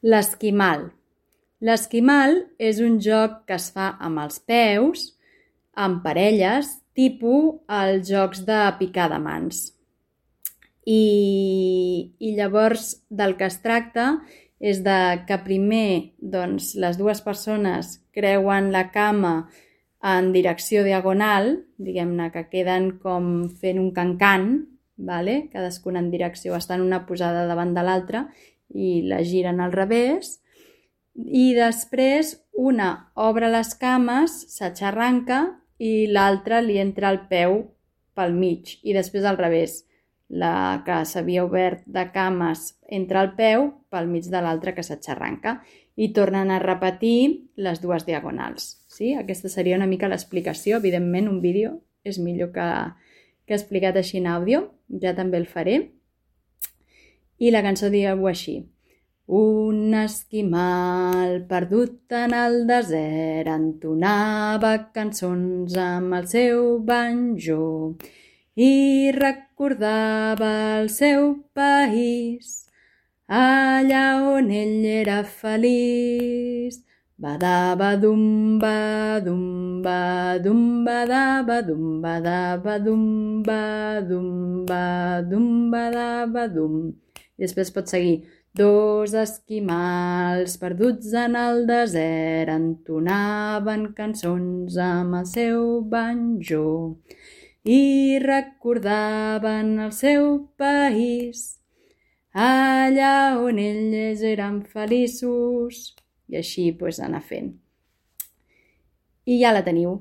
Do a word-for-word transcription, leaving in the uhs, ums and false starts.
L'esquimal. L'esquimal és un joc que es fa amb els peus, amb parelles, tipus els jocs de picar de mans. I, i llavors del que es tracta és de que primer doncs, les dues persones creuen la cama en direcció diagonal, diguem-ne que queden com fent un cancan, vale? Cadascuna en direcció, estan una posada davant de l'altra i la giren al revés, i després una obre les cames, s'aixarranca i l'altra li entra el peu pel mig, i després al revés, la que s'havia obert de cames entra el peu pel mig de l'altra que s'aixarranca, i tornen a repetir les dues diagonals. Sí? Aquesta seria una mica l'explicació. Evidentment, un vídeo és millor que, que explicat així en àudio, ja també el faré. I la cançó diu així: un esquimal perdut en el desert entonava cançons amb el seu banjo i recordava el seu país, allà on ell era feliç. Badabadum, badum, badum, badabadum, badabadum, badum, badum, badabadum. I després pot seguir: dos esquimals perduts en el desert entonaven cançons amb el seu banjo i recordaven el seu país, allà on ells eren feliços. I així pues, anar fent. I ja la teniu.